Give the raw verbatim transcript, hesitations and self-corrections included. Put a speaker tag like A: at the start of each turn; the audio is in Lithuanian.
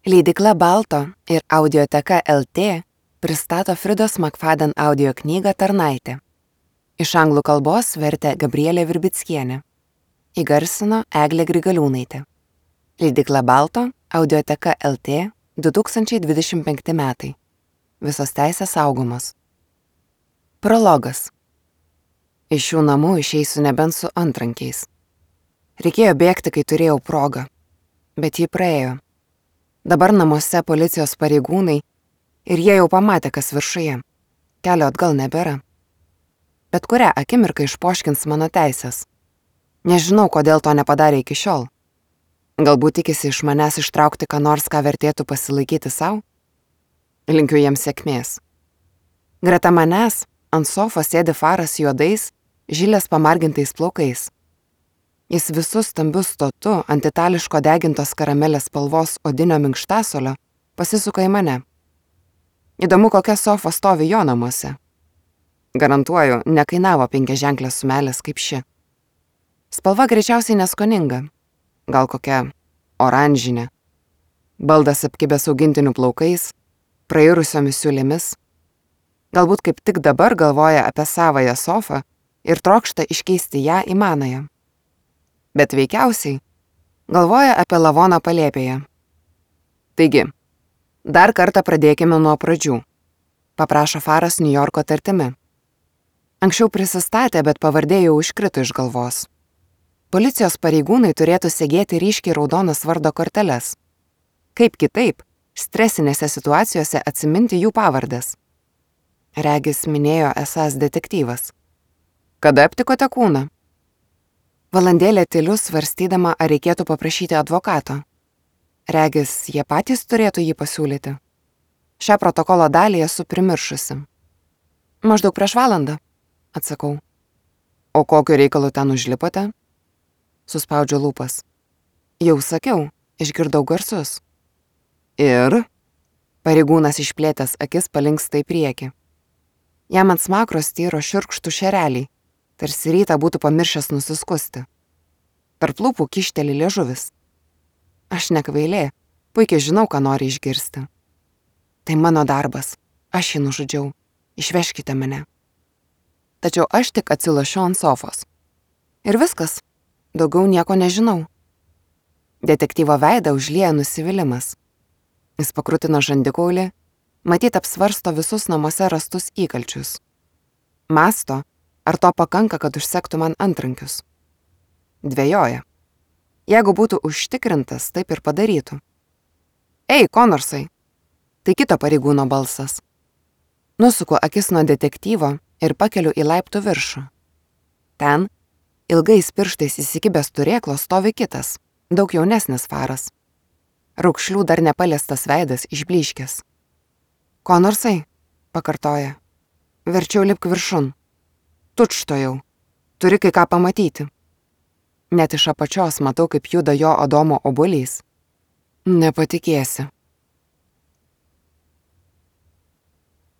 A: Leidykla Balto ir Audioteka L T pristato Fridos Makfaden audio knygą Tarnaitė. Iš anglų kalbos vertė Gabrielė Virbickienė. Įgarsino Eglė Grigaliūnaitė. Leidykla Balto, Audioteka L T, du tūkstančiai dvidešimt penkti metai. Visos teisės saugomos. Prologas. Iš šių namų išeisiu nebent su antrankiais. Reikėjo bėgti, kai turėjau progą, bet ji praėjo. Dabar namuose policijos pareigūnai ir jie jau pamatė, kas viršuje. Kelio atgal nebėra. Bet kurią akimirką išpoškins mano teisės. Nežinau, kodėl to nepadarė iki šiol. Galbūt tikisi iš manęs ištraukti ką nors, ką vertėtų pasilaikyti savo? Linkiu jiems sėkmės. Greta manęs ant sofos sėdi faras juodais, žilės pamargintais plaukais. Jis visus stambius stotu ant itališko degintos karamelės spalvos odinio minkštasolio pasisuka į mane. Įdomu, kokia sofa stovi jo namuose. Garantuoju, nekainavo penkiaženklės sumelės kaip ši. Spalva greičiausiai neskoninga. Gal kokia oranžinė. Baldas apkibęs augintinių plaukais, prairusiomis siūlėmis. Galbūt kaip tik dabar galvoja apie savąją sofą ir trokšta iškeisti ją į manąją. Bet veikiausiai galvoja apie lavoną palėpėje. Taigi, dar kartą pradėkime nuo pradžių, paprašo faras Niujorko tartimi. Anksčiau prisistatė, bet pavardė jau iškrito iš galvos. Policijos pareigūnai turėtų segėti ryškiai raudonas vardo korteles. Kaip kitaip, stresinėse situacijose atsiminti jų pavardes. Regis minėjo esąs detektyvas. Kada aptikote kūną? Valandėlę tyliu svarstydama, ar reikėtų paprašyti advokato. Regis, jie patys turėtų jį pasiūlyti. Šią protokolo dalį esu primiršusi. Maždaug prieš valandą, atsakau. O kokiu reikalu ten užlipote? Suspaudžiu lūpas. Jau sakiau, išgirdau garsus. Ir? Pareigūnas išplėtęs akis palinksta į priekį. Jam ant smakro styro šiurkštų šereliai, tarsi rytą būtų pamiršęs nusiskusti. Tarp lūpų kišteli liežuvis. Aš nekvailė, puikiai žinau, ką nori išgirsti. Tai mano darbas, aš jį nužudžiau, išveškite mane. Tačiau aš tik atsilošiu ant sofos. Ir viskas, daugiau nieko nežinau. Detektyvo veidą užlieja nusivylimas. Jis pakrutino žandikaulį, matyt apsvarsto visus namuose rastus įkalčius. Mąsto, ar to pakanka, kad užsektų man antrankius? Dvejoja. Jeigu būtų užtikrintas, taip ir padarytų. Ei, Konorsai! Tai kito pareigūno balsas. Nusuku akis nuo detektyvo ir pakeliu į laiptų viršų. Ten, ilgais pirštais įsikibęs turėklo, stovi kitas, daug jaunesnis faras. Raukšlių dar nepaliestas veidas išblyškęs. Konorsai, pakartoja. Verčiau lipk viršun. Tučtojau. Turi kai ką pamatyti. Net iš apačios matau, kaip juda jo Adomo obuolys. Nepatikėsi,